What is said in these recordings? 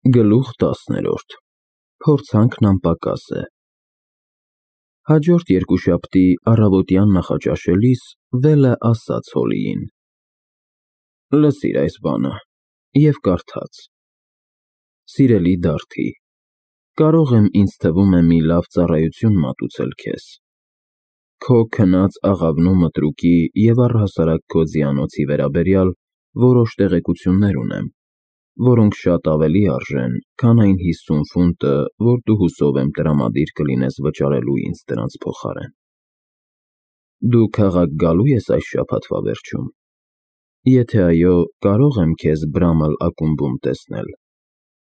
Գլուխ 10-րդ Փորձանքն անպակաս է։ Հաջորդ երկուշաբթի առավոտյան նախաճաշելիս Վելը ասաց Հոլիին. «Լսիր այս բանը» և կարդաց. «Սիրելի Դարդի, կարող եմ ինձ թվում է մի լավ ծառայություն մատուցել քեզ։ Քո քնած աղավնու մտրուկի և առհասարակ քո ձիանոցի վերաբերյալ որոշ տեղեկություններ ունեմ, որոնք շատ ավելի արժեն, քան այն 50 ֆունտը, որ դու հուսով եմ տրամադիր կլինես վճարելու ինձ դրանց փոխարեն։ Դու քաղաք գալու ես այս շաբաթվա վերջում։ Եթե այո, կարող եմ քեզ Բրամլ ակումբում տեսնել,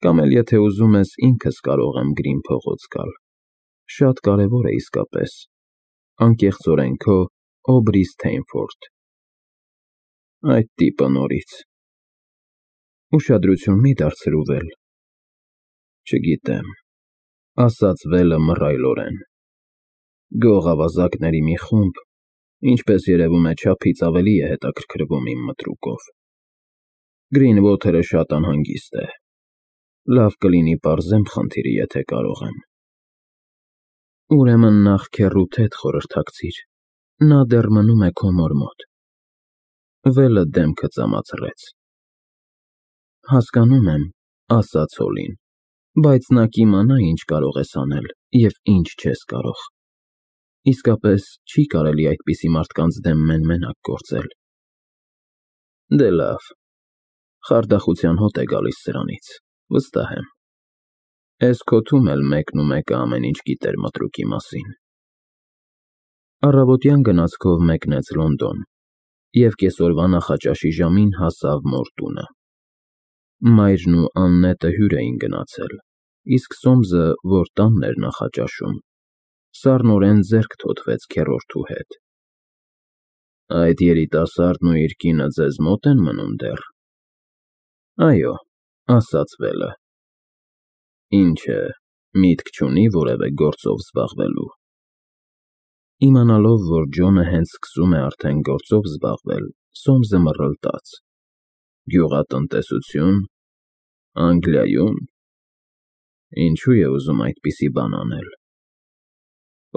կամ էլ եթե ուզում ես, ինքս կարող եմ Գրին փողոց գալ։ Շատ կարևոր է իսկապես։ Անկեղծորեն քո Օբրի Սթեյնֆորդ»։ Այդ տիպը նորից։ Ուշադրություն մի դարձրու, Վել։ Չգիտեմ, ասաց Վելը մռայլորեն։ Գող ավազակների մի խումբ, ինչպես երևում է, չափից ավելի է հետաքրքրվում իմ մտրուկով։ Գրինվոթերը շատ անհանգիստ է։ Լավ կլինի պարզեմ խնդիրը, եթե կարող եմ։ Ուրեմն նախ քեռուդ հետ խորհրդակցիր, նա դեռ մնում է քո մոր մոտ։ Վելը դեմքը ծամացրեց։ Հասկանում եմ, ասաց Հոլին, բայց նա կիմանա, ինչ կարող ես անել և ինչ չես կարող։ Իսկապես չի կարելի այդպիսի մարդկանց դեմ մեն-մենակ գործել։ Դե լավ, խարդախության հոտ է գալիս սրանից, վստահ եմ։ Էս քոթում էլ մեկն ու մեկը ամեն ինչ գիտեր մտրուկի մասին։ Առավոտյան գնացքով մեկնեց Լոնդոն և կեսօրվա նախաճաշի ժամին հասավ մոր տունը։ Մայրն ու Աննետը հյուր էին գնացել, իսկ Սոմսը, որ տանն էր նախաճաշում, սառնորեն ձեռք թոթվեց քեռորդու հետ։ Այդ երիտասարդն ու իր կինը ձեզ մոտ են մնում դեռ։ Այո, ասաց Վելը։ Ինչ է, միտք չունի որևէ գործով զբաղվելու։ Իմանալով, որ Ջոնը հենց սկսում է արդեն գործով զբաղվել, Սոմսը մռլտաց։ Գյուղատնտեսություն, Անգլիայում։ Ինչու է ուզում այդպիսի բան անել։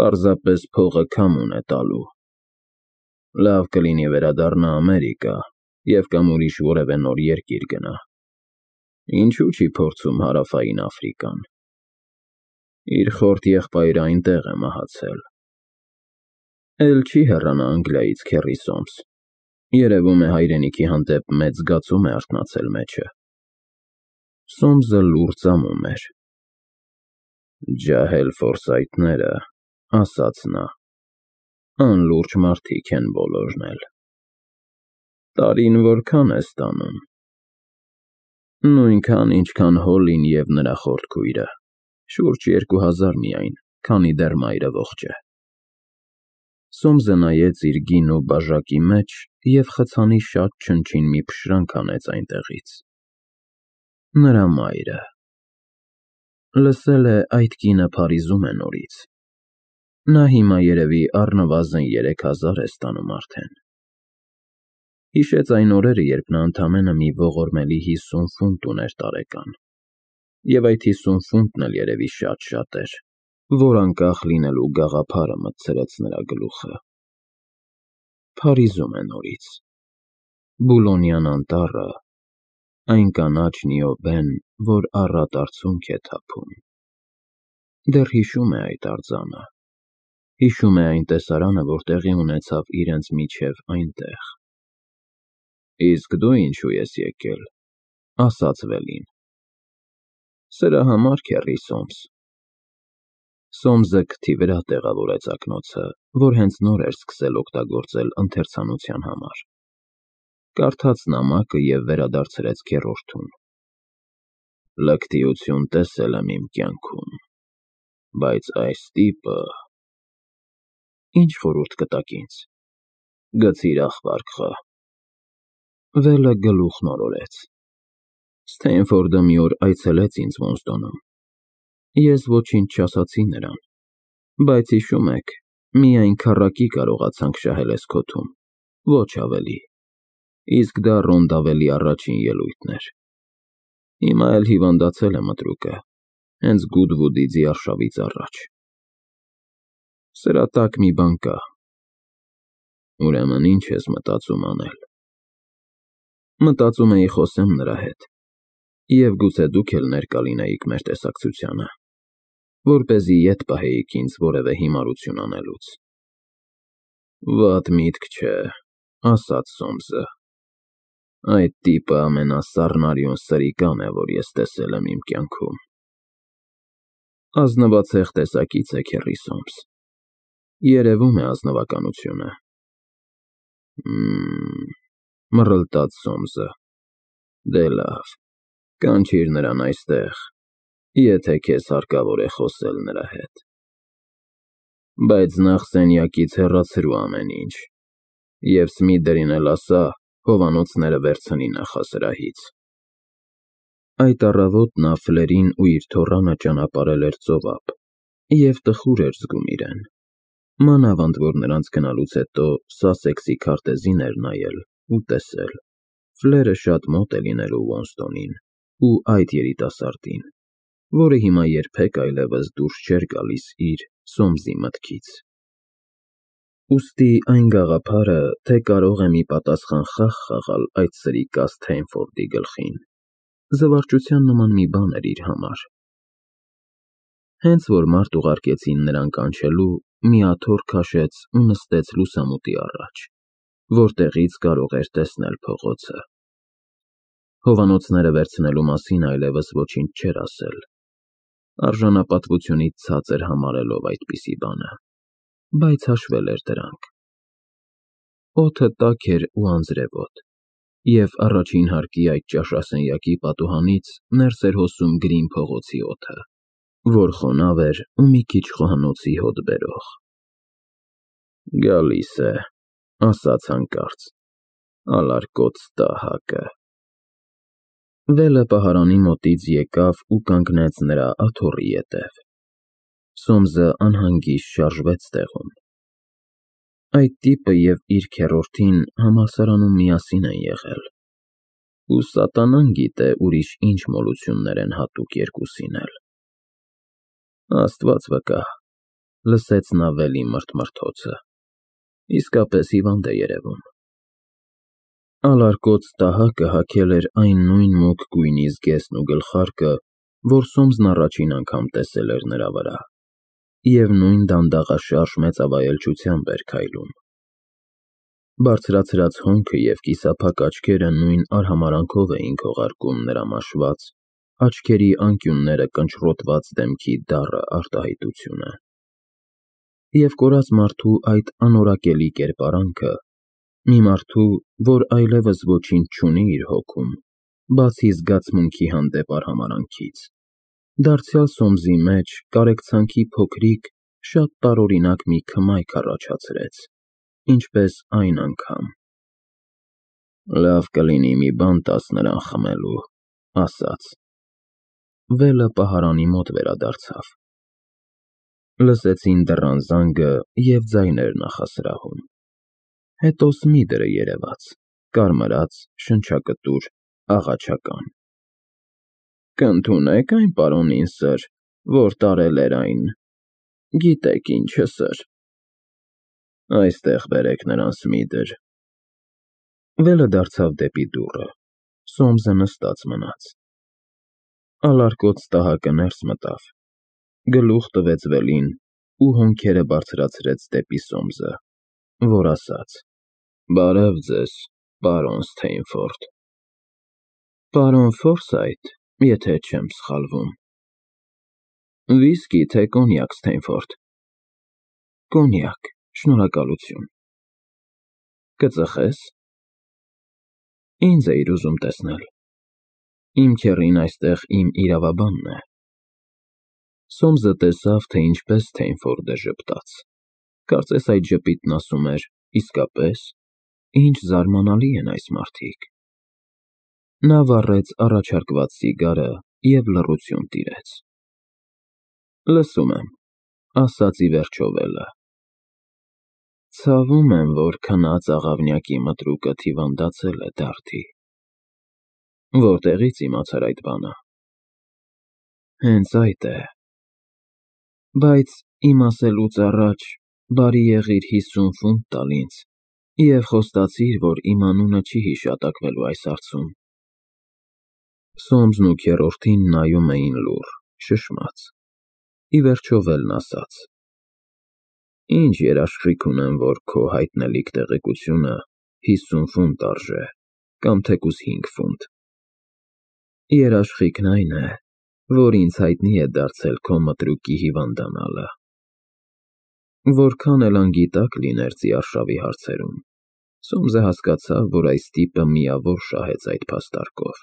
Պարզապես փողը քամուն է տալու։ Լավ կլինի վերադառնա Ամերիկա և կամ ուրիշ որևէ նոր երկիր գնա։ Ինչու չի փորձում Հարավային Աֆրիկան։ Իր խորթ եղբայրը այնտեղ է մահացել։ Էլ չի հեռանա Անգլիայից քեռի Սոմս։ Երևում է հայրենիքի հանդեպ մեծ զգացում է արթնացել մեջը։ Սոմսը լուռ ծամում էր։ Ջահել Ֆորսայթները, ասաց նա, անլուրջ մարդիկ են բոլորն էլ։ Տարին որքան է ստանում։ Նույնքան, ինչքան Հոլին և նրա խորթ քույրը, շուրջ 2000 միայն, քանի դեռ մայրը ողջ է։ Սոմսը նայեց իր գինու բաժակի մեջ և խցանի շատ չնչին մի փշրանք հանեց այնտեղից։ Նրա մայրը։ Լսել է, այդ կինը Փարիզում է նորից։ Նա հիմա երևի առնվազն 3000 է ստանում արդեն։ Հիշեց այն օրերը, երբ նա ընդամենը մի ողորմելի 50 ֆունտ ուներ տարեկան։ Եվ այդ 50 ֆունտն էլ երևի շատ էր, որ անկախ լինելու գաղափարը մտցրեց նրա գլուխը։ Փարիզում է նորից։ Բուլոնյան անտառը, այն կանաչ Նիոբեն, որ առատ արցունք է թափում։ Դեռ հիշում է այդ արձանը։ Հիշում է այն տեսարանը, որ տեղի ունեցավ իրենց միջև այնտեղ։ Իսկ դու ինչու ես եկել, ասաց Վելին։ Սրա համար, քեռի Սոմս։ Սոմսը քթի վրա տեղավորեց ակնոցը, որ հենց նոր էր սկսել օգտագործել ընթերցանության համար։ Կարդաց նամակը և վերադարձրեց քեռորդուն։ Լկտիություն տեսել եմ իմ կյանքում, բայց այս տիպը… Ինչ խորհուրդ կտաք ինձ։ Գցիր աղբարկղը։ Վելը գլուխն օրորեց։ Սթեյնֆորդը մի օր այցելեց ինձ Մոնսդոնում։ Ես ոչինչ չասացի նրան, բայց հիշում եք, միայն քառակի կարողացանք շահել էս քոթում, ոչ ավելի, իսկ դա Ռոնդավելի առաջին ելույթն էր։ Հիմա էլ հիվանդացել է մտրուկը, հենց Գուդվուդի ձիարշավից առաջ։ Սրա տակ մի բան կա։ Ուրեմն ինչ ես մտածում անել։ Մտածում էի խոսեմ նրա հետ, և գուցե դուք էլ ներկա լինեիք մեր տեսակցությանը, որպեսզի ետ պահեիք ինձ որևէ հիմարություն անելուց։ Վատ միտք չէ, ասաց Սոմսը։ Այդ տիպը ամենասառնարյուն սրիկան է, որ ես տեսել եմ իմ կյանքում։ Ազնվացեղ տեսակից է քեռի Սոմս։ Երևում է ազնվականությունը։ Մռլտաց Սոմսը։ Դե լավ, կանչիր նրան այստեղ, եթե քեզ հարկավոր է խոսել նրա հետ։ Բայց նախ սենյակից հեռացրու ամեն ինչ, և Սմիդերին էլ ասա հովանոցները վերցնի նախասրահից։ Այդ առավոտ նա Ֆլերին ու իր թոռանը ճանապարհել էր ծովափ և տխուր էր զգում իրեն, մանավանդ որ նրանց գնալուց հետո Սասեքսի քարտեզին էր նայել ու տեսել. Ֆլերը շատ մոտ է լինելու Ուոնստոնին ու այդ երիտասարդին, որը հիմա երբեք այլևս դուրս չէր գալիս իր Սոմսի մտքից։ Ուստի այն գաղափարը, թե կարող է մի պատասխան խաղ խաղալ այդ սրիկա Սթեյնֆորդի գլխին, զվարճության նման մի բան էր իր համար։ Հենց որ մարդ ուղարկեցին նրան կանչելու, մի աթոռ քաշեց ու նստեց լուսամուտի առաջ, որտեղից կարող էր տեսնել փողոցը։ Հովանոցները վերցնելու մասին այլևս ոչինչ չէր ասել, արժանապատվությունից ցածր համարելով այդպիսի բանը, բայց հաշվել էր դրանք։ Օդը տաք էր ու անձրևոտ, և առաջին հարկի այդ ճաշասենյակի պատուհանից ներս էր հոսում Գրին փողոցի օդը, որ խոնավ էր ու մի քիչ խոհանոցի հոտ բերող։ Գալիս է, ասաց հանկարծ, ալարկոծ տահակը։ Վելը պահարանի մոտից եկավ ու կանգնեց նրա աթոռի ետև։ Սոմսը անհանգիստ շարժվեց տեղում։ Այդ տիպը և իր քեռորդին համալսարանում միասին են եղել, ու սատանան գիտե ուրիշ ինչ մոլություններ են հատուկ երկուսին էլ։ Աստված վկա, լսեց նա Վելի մրթմրթոցը, իսկապես հիվանդ է երևում։ Ալարկոծ տահակը հագել էր այն նույն մուգ գույնի զգեստն ու գլխարկը, որ Սոմսն առաջին անգամ տեսել էր նրա վրա, և նույն դանդաղաշարժ մեծավայելչությամբ էր քայլում։ Բարձրացրած հոնքը և կիսափակ աչքերը նույն արհամարհանքով էին քողարկում նրա մաշված, աչքերի անկյունները կնճռոտված դեմքի դառը արտահայտությունը։ Եվ կորած մարդու այդ անորակելի կերպարանքը, մի մարդու, որ այլևս ոչինչ չունի իր հոգում, բացի զգացմունքի հանդեպ արհամարհանքից, դարձյալ Սոմսի մեջ կարեկցանքի փոքրիկ, շատ տարօրինակ մի քմայք առաջացրեց, ինչպես այն անգամ։ Լավ կլինի մի բան տաս նրան խմելու, ասաց։ Վելը պահարանի մոտ վերադարձավ։ Լսեցին դռան զանգը և ձայներ նախասրահում։ Հետո Սմիդերը երևաց, կարմրած, շնչակտուր, աղաչական։ Կընդունե՞ք այն պարոնին, սըր, որ տարել էր այն, գիտեք ինչը, սըր։ Այստեղ բերեք նրան, Սմիդեր։ Վելը դարձավ դեպի դուռը, Սոմսը նստած մնաց։ Ալարկոծ տահակը ներս մտավ, գլուխ տվեց Վելին ու հոնքերը բարձրացրեց դեպի Սոմսը, որ ասաց. Բարև ձեզ, պարոն Սթեյնֆորդ։ Պարոն Ֆորսայթ, եթե չեմ սխալվում։ Վիսկի, թե կոնյակ, Սթեյնֆորդ։ Կոնյակ, շնորհակալություն։ Կծխես։ Ինձ էիր ուզում տեսնել։ Իմ քեռին այստեղ իմ իրավաբանն է։ Սոմսը տեսավ, թե ինչպես Սթեյնֆորդը ժպտաց։ Կարծես այդ ժպիտն ասում էր. իսկապես, ինչ զարմանալի են այս մարդիկ։ Նա վառեց առաջարկված սիգարը և լռություն տիրեց։ Լսում եմ, ասաց ի վերջո Վելը։ Ցավում եմ, որ քնած աղավնյակի մտրուկը հիվանդացել է, Դարդի։ Որտեղի՞ց իմացար այդ բանը։ Հենց այդ է։ Բայց իմ ասելուց առաջ բարի եղիր 50 ֆունտ տալ ինձ և խոստացիր, որ իմ անունը չի հիշատակվելու այս հարցում։ Սոմսն ու քեռորդին նայում էին լուռ, շշմած։ Ի վերջո Վելն ասաց. Ինչ երաշխիք ունեմ, որ քո հայտնելիք տեղեկությունը 50 ֆունտ արժե, կամ թեկուզ 5 ֆունտ։ Երաշխիքն այն է, որ ինձ հայտնի է դարձել քո մտրուկի հիվանդանալը։ Որքան էլ անգիտակ լիներ Ձիարշավի հարցերում, Սոմսը հասկացավ, որ այս տիպը միավոր շահեց այդ փաստարկով։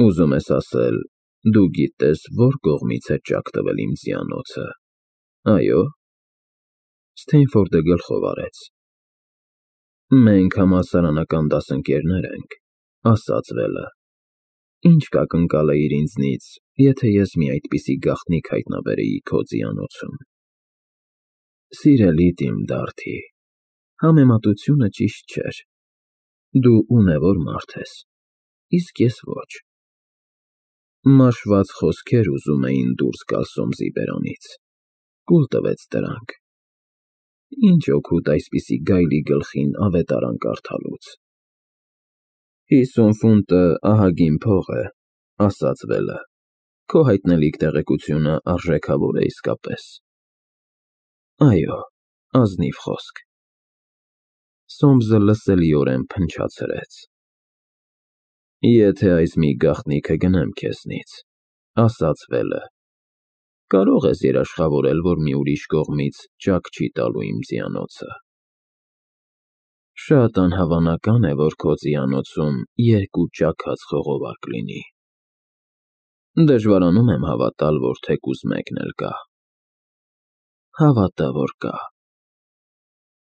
Ուզում ես ասել, դու գիտես, որ կողմից է ճաք տվել իմ ձիանոցը, այո՞։ Սթեյնֆորդը գլխով արեց։ Մենք համալսարանական դասընկերներ ենք, ասաց Վելը։ Ինչ կակնկալեիր ինձնից, եթե ես մի այդպիսի գաղտնիք հայտնաբերեի քո ձիանոցում։ Սիրելի իմ Դարդի, համեմատությունը ճիշտ չէր։ Դու ունևոր մարդ ես, իսկ ես ոչ։ Մաշված խոսքեր ուզում էին դուրս գալ Սոմսի բերանից։ Կուլ տվեց դրանք։ Ինչ օգուտ այսպիսի գայլի գլխին ավետարան կարդալուց։ 50 ֆունտը ահագին փող է, ասաց Վելը։ Քո հայտնելիք տեղեկությունը արժեքավոր է իսկապես։ Այո, ազնիվ խոսք։ Սոմսը լսելիորեն փնչացրեց։ Եթե այս մի գաղտնիքը գնեմ քեզնից, ասաց Վելը, կարող ես երաշխավորել, որ մի ուրիշ կողմից ճաք չի տալու իմ ձիանոցը։ Շատ անհավանական է, որ քո ձիանոցում 2 ճաքած խողովակ լինի։ Դժվարանում եմ հավատալ, որ թեկուզ մեկն էլ կա։ Հավատա, որ կա։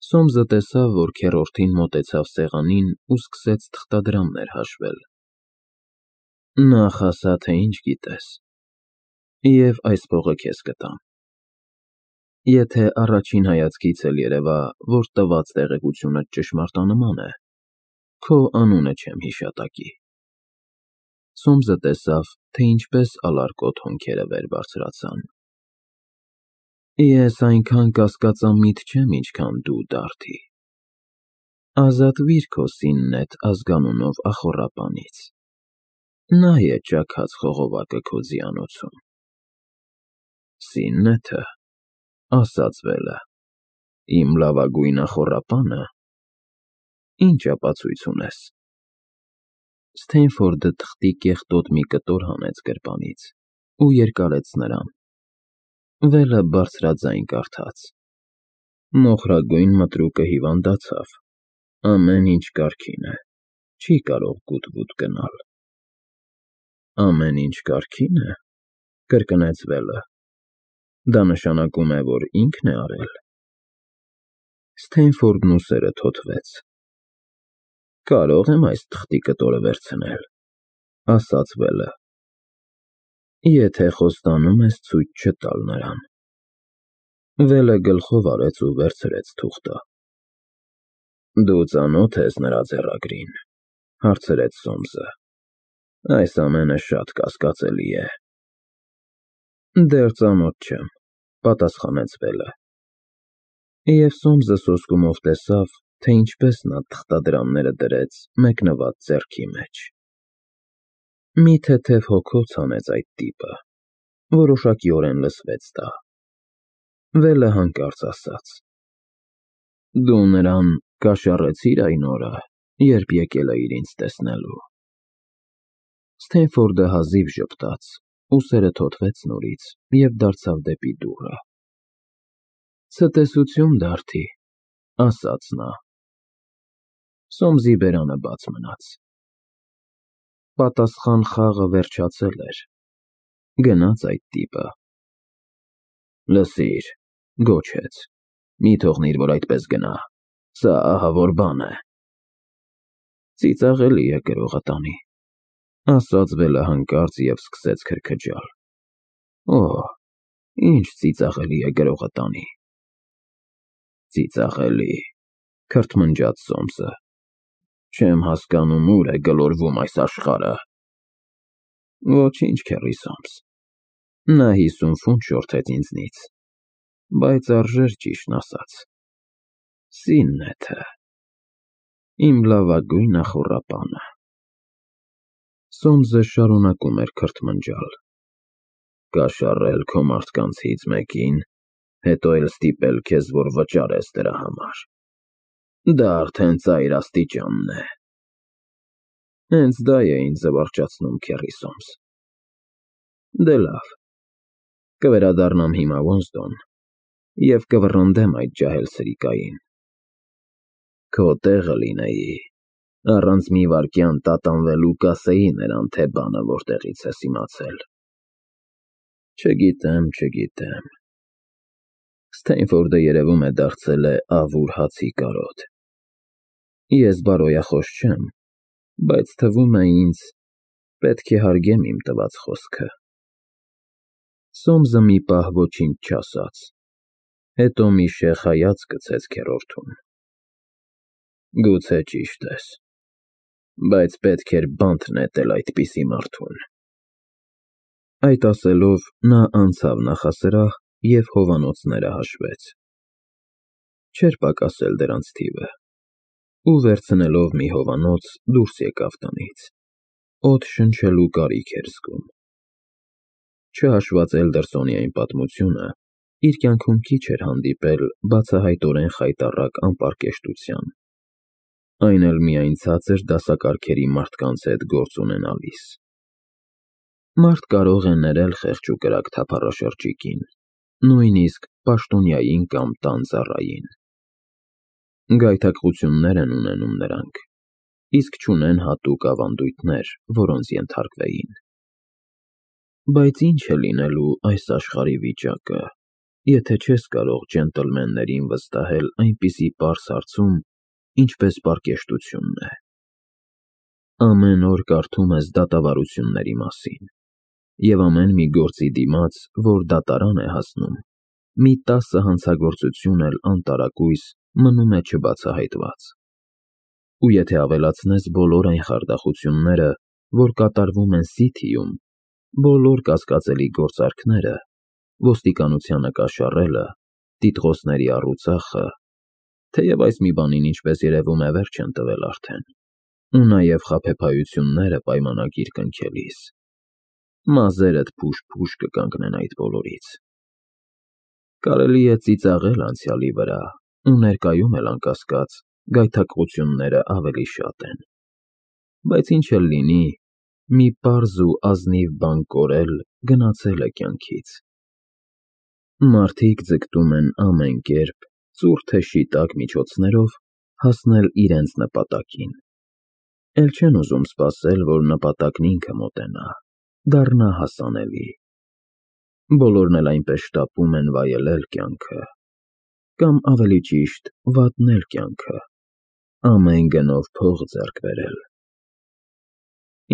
Սոմսը տեսավ, որ քեռորդին մոտեցավ սեղանին ու սկսեց թղթադրամներ հաշվել։ Նախ ասա, թե ինչ գիտես, և այս փողը քեզ կտամ։ Եթե առաջին հայացքից էլ երևա, որ տված տեղեկությունը ճշմարտանման է, քո անունը չեմ հիշատակի։ Սոմսը տեսավ, թե ինչպես ալարկոտ հոնքերը վեր բարձրացան։ Ես այնքան կասկածամիտ չեմ, ինչքան դու, Դարդի։ Ազատվիր քո Սիննեթ ազգանունով ախոռապանից։ Նա է ճաքած խողովակը քո ձիանոցում։ Սիննեթը, ասաց Վելը, իմ լավագույն ախոռապանը։ Ինչ ապացույց ունես։ Սթեյնֆորդը թղթի կեղտոտ մի կտոր հանեց գրպանից ու երկարեց նրան։ Վելը բարձրաձայն կարդաց. Մոխրագույն մտրուկը հիվանդացավ, ամեն ինչ կարգին է, չի կարող գուտ-վուտ գնալ։ Ամեն ինչ կարգին է, կրկնեց Վելը։ Դա նշանակում է, որ ինքն է արել։ Սթեյնֆորդն ուսերը թոթվեց։ Կարող եմ այս թղթի կտորը վերցնել, ասաց Վելը։ Եթե խոստանում ես ցույց չտալ նրան։ Վելը գլխով արեց ու վերցրեց թուղթը։ Դու ծանոթ ես նրա ձեռագրին, հարցրեց Սոմսը։ Այս ամենը շատ կասկածելի է։ Դեռ ծանոթ չեմ, պատասխանեց Վելը։ Եվ Սոմսը սոսկումով տեսավ, թե ինչպես նա թղթադրամները դրեց մեկնված ձեռքի մեջ։ Մի թեթև հոգոց հանեց այդ տիպը, որոշակիորեն լսվեց դա։ Վելը հանկարծ ասաց. Դու նրան կաշառեցիր այն օրը, երբ եկել էիր ինձ տեսնելու։ Սթեյնֆորդը հազիվ ժպտաց, ուսերը թոթվեց նորից և դարձավ դեպի դուռը։ Ցտեսություն, Դարդի, ասաց նա։ Սոմսի բերանը բաց մնաց։ Պատասխան խաղը վերջացել էր։ Գնաց այդ տիպը։ Լսիր, գոչեց, մի թողնիր, որ այդպես գնա, սա ահավոր բան է։ Ծիծաղելի է գրողը տանի, ասաց Վելը հանկարծ և սկսեց քրքջալ։ Օհ, ինչ ծիծաղելի է գրողը տանի։ Ծիծաղելի, քրթմնջաց Սոմսը։ Չեմ հասկանում, ուր է գլորվում այս աշխարհը։ Ոչինչ, քեռիսոմս։ Նա 50 ֆունտ շորթեց ինձնից, բայց արժեր ճիշտն ասած։ Սիննեթը, իմ լավագույն ախոռապանը։ Սոմսը շարունակում էր քրթմնջալ։ Կաշառել քո մարդկանցից մեկին, հետո էլ ստիպել քեզ, որ վճարես դրա համար։ Դա արդեն ծայր աստիճանն է։ Հենց դա է ինձ զվարճացնում, քեռիսոմս։ Դե լավ, կվերադառնամ հիմա Ոզդոն և կվռնդեմ այդ ջահել սրիկային։ Քո տեղը լինեի, առանց մի վայրկյան տատանվելու կասեի նրան, թե բանը որտեղից ես իմացել։ Չգիտեմ։ Սթեյնֆորդը երևում է դարձել է ավուր հացի կարոտ։ Ես բարոյախոս չեմ, բայց թվում է ինձ, պետք է հարգեմ իմ տված խոսքը։ Սոմսը մի պահ ոչինչ չասաց, հետո մի շեխ հայացք գցեց քեռորդուն։ Գուցե ճիշտ ես, բայց պետք էր բանտ նետել այդպիսի մարդուն։ Այդ ասելով նա անցավ նախասրահ և հովանոցները հաշվեց։ Չէր պակասել դրանց թիվը, ու վերցնելով մի հովանոց դուրս եկավ տնից, օդ շնչելու կարիք էր զգում։ Չհաշված Էլդերսոնի այն պատմությունը, իր կյանքում քիչ էր հանդիպել բացահայտորեն խայտառակ անպարկեշտության, այն էլ միայն ցածր դասակարգերի մարդկանց հետ գործ ունենալիս։ Մարդ կարող է ներել խեղճ ու կրակ թափառաշրջիկին, նույնիսկ պաշտոնյային կամ տան ծառային։ Գայթակղություններ են ունենում նրանք, իսկ չունեն հատուկ ավանդույթներ, որոնց ենթարկվեին։ Բայց ինչ է լինելու այս աշխարհի վիճակը, եթե չես կարող ջենտլմեններին վստահել այնպիսի պարզ հարցում, ինչպես պարկեշտությունն է։ Ամեն օր կարդում ես դատավարությունների մասին, և ամեն մի գործի դիմաց, որ դատարան է հասնում, մի 10 հանցագործություն էլ անտարակույս մնում է չբացահայտված։ Ու եթե ավելացնես բոլոր այն խարդախությունները, որ կատարվում են Սիթիում, բոլոր կասկածելի գործարքները, ոստիկանությանը կաշառելը, տիտղոսների առուծախը, թեև այս մի բանին, ինչպես երևում է, վերջ են տվել արդեն, ու նաև խաբեբայությունները պայմանագիր կնքելիս, մազերդ փուշ-փուշ կկանգնեն այդ բոլորից։ Կարելի է ծիծաղել անցյալի վրա, ու ներկայում էլ անկասկած գայթակղությունները ավելի շատ են, բայց ինչ էլ լինի, մի պարզ ու ազնիվ բան կորել գնացել է կյանքից։ Մարդիկ ձգտում են ամեն կերպ, ծուռ թե շիտակ միջոցներով հասնել իրենց նպատակին, էլ չեն ուզում սպասել, որ նպատակն ինքը մոտենա, դառնա հասանելի։ Բոլորն էլ այնպես շտապում են վայելել կյանքը, կամ ավելի ճիշտ վատնել կյանքը, ամեն գնով փող ձեռք բերել։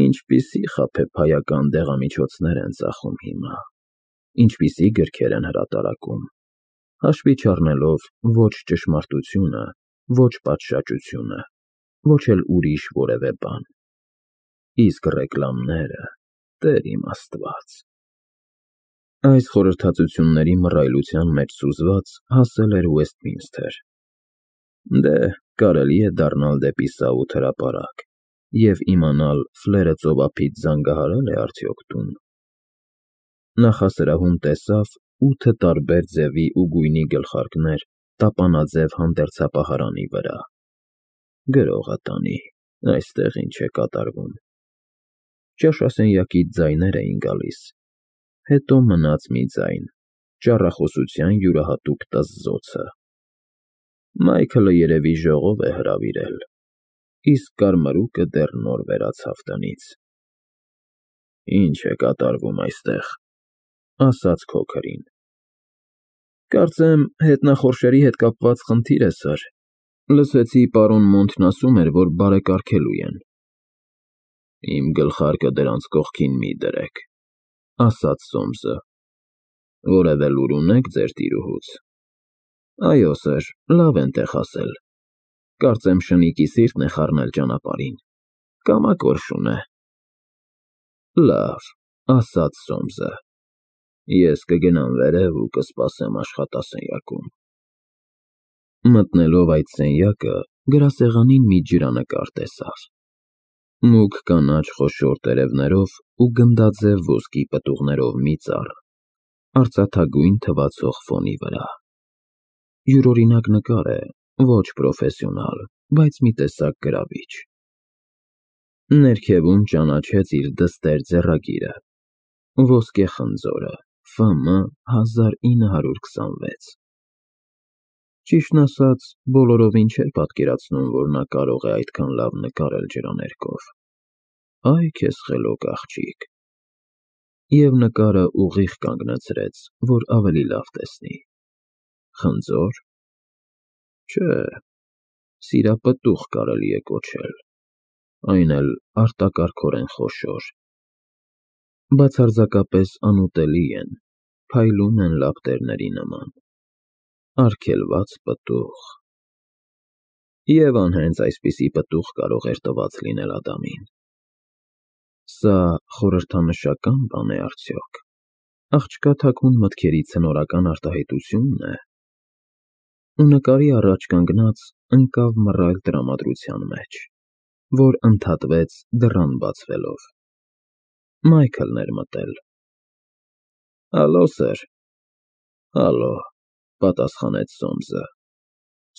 Ինչպիսի խաբեբայական դեղամիջոցներ են ծախում հիմա, ինչպիսի գրքեր են հրատարակում, հաշվի չառնելով ոչ ճշմարտությունը, ոչ պատշաճությունը, ոչ էլ ուրիշ որևէ բան։ Իսկ ռեկլամները, Տեր իմ Աստված։ Այս խորհրդածությունների մռայլության մեջ սուզված հասել էր Ուեսթմինսթեր։ Դե, կարելի է դառնալ դեպի Սաութ հրապարակ և իմանալ Ֆլերը ծովափից զանգահարել է արդյոք տուն։ Նախասրահում տեսավ 8 տարբեր ձևի ու գույնի գլխարկներ տապանաձև հանդերձապահարանի վրա։ Գրողը տանի, այստեղ ինչ է կատարվում։ Ճաշասենյակից ձայներ էին գալիս, հետո մնաց մի ձայն, ճառախոսության յուրահատուկ տզզոցը։ Մայքլը երևի ժողով է հրավիրել, իսկ կարմրուկը դեռ նոր վերացավ տնից։ Ինչ է կատարվում այստեղ, ասաց քոքրին։ Կարծեմ, հետնախորշերի հետ կապված խնդիր է, սըր։ Լսեցի պարոն Մոնթն ասում էր, որ բարեկարգելու են։ Իմ գլխարկը դրանց կողքին մի դրեք, ասաց Սոմսը։ Որևէ լուր ունեք ձեր տիրուհուց։ Այո, սըր, լավ են տեղ ասել։ Կարծեմ շնիկի սիրտն է խառնել ճանապարհին։ Կամակոր շուն է։ Լավ, ասաց Սոմսը։ Ես կգնամ վերև ու կսպասեմ աշխատասենյակում։ Մտնելով այդ սենյակը, գրասեղանին մի ջրանկար տեսավ։ Մուգ կանաչ խոշոր տերևներով ու գնդաձև ոսկի պտուղներով մի ծառ, արծաթագույն թվացող ֆոնի վրա։ Յուրօրինակ նկար է, ոչ պրոֆեսիոնալ, բայց մի տեսակ գրավիչ։ Ներքևում ճանաչեց իր դստեր ձեռագիրը, ոսկե խնձորը, Ֆ.Մ. 1926։ Ճիշտն ասած, բոլորովին չէր պատկերացնում, որ նա կարող է այդքան լավ նկարել ջրաներկով։ Այ քեզ խելոք, աղջիկ։ Եվ նկարը ուղիղ կանգնացրեց, որ ավելի լավ տեսնի։ Խնձոր։ Չէ, սիրապտուղ կարելի է կոչել, այն էլ արտակարգորեն խոշոր։ Բացարձակապես անուտելի են, փայլում են լապտերների նման։ Արգելված պտուղ։ Եվան հենց այսպիսի պտուղ կարող էր տված լինել Ադամին։ Սա խորհրդանշական բան է արդյոք։ Աղջկա թաքուն մտքերի ցնորական արտահայտությունն է։ Ու նկարի առաջ կանգնած ընկավ մռայլ տրամադրության մեջ, որ ընդհատվեց դռան բացվելով։ Մայքլն էր մտել։ Ալո, սըր։ Ալո, պատասխանեց Սոմսը։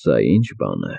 Սա ի՞նչ բան է։